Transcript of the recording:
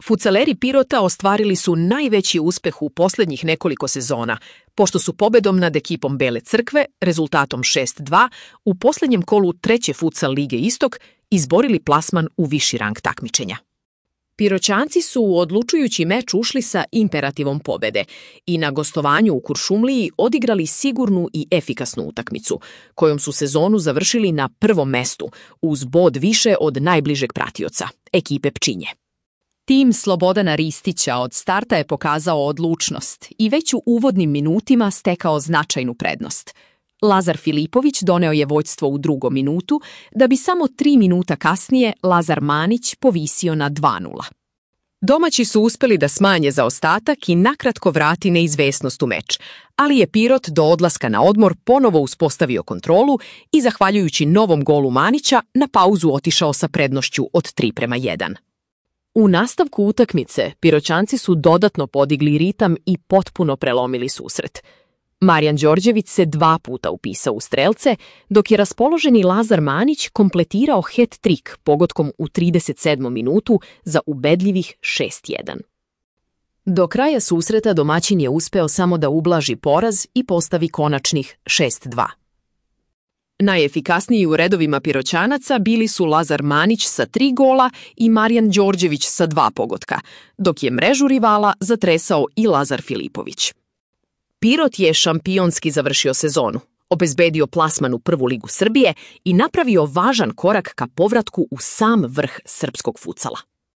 Futsaleri Pirota ostvarili su najveći uspeh u posljednjih nekoliko sezona, pošto su pobedom nad ekipom Bele Crkve, rezultatom 6:2, u posljednjem kolu treće futsal lige Istok izborili plasman u viši rang takmičenja. Piroćanci su u odlučujući meč ušli sa imperativom pobede i na gostovanju u Kuršumliji odigrali sigurnu i efikasnu utakmicu, kojom su sezonu završili na prvom mestu, uz bod više od najbližeg pratioca, ekipe Pčinje. Tim Slobodana Ristića od starta je pokazao odlučnost i već u uvodnim minutima stekao značajnu prednost. Lazar Filipović doneo je vođstvo u drugom minutu, da bi samo 3 minuta kasnije Lazar Manić povisio na 2:0. Domaći su uspeli da smanje zaostatak i nakratko vrati neizvesnost u meč, ali je Pirot do odlaska na odmor ponovo uspostavio kontrolu i, zahvaljujući novom golu Manića, na pauzu otišao sa prednošću od 3:1. U nastavku utakmice Piroćanci su dodatno podigli ritam i potpuno prelomili susret. Marijan Đorđević se 2 puta upisao u strelce, dok je raspoloženi Lazar Manić kompletirao hat-trik pogodkom u 37. minutu za ubedljivih 6:1. Do kraja susreta domaćin je uspeo samo da ublaži poraz i postavi konačnih 6:2. Najefikasniji u redovima Piroćanaca bili su Lazar Manić sa 3 gola i Marijan Đorđević sa 2 pogotka, dok je mrežu rivala zatresao i Lazar Filipović. Pirot je šampionski završio sezonu, obezbedio plasman u prvu ligu Srbije i napravio važan korak ka povratku u sam vrh srpskog futsala.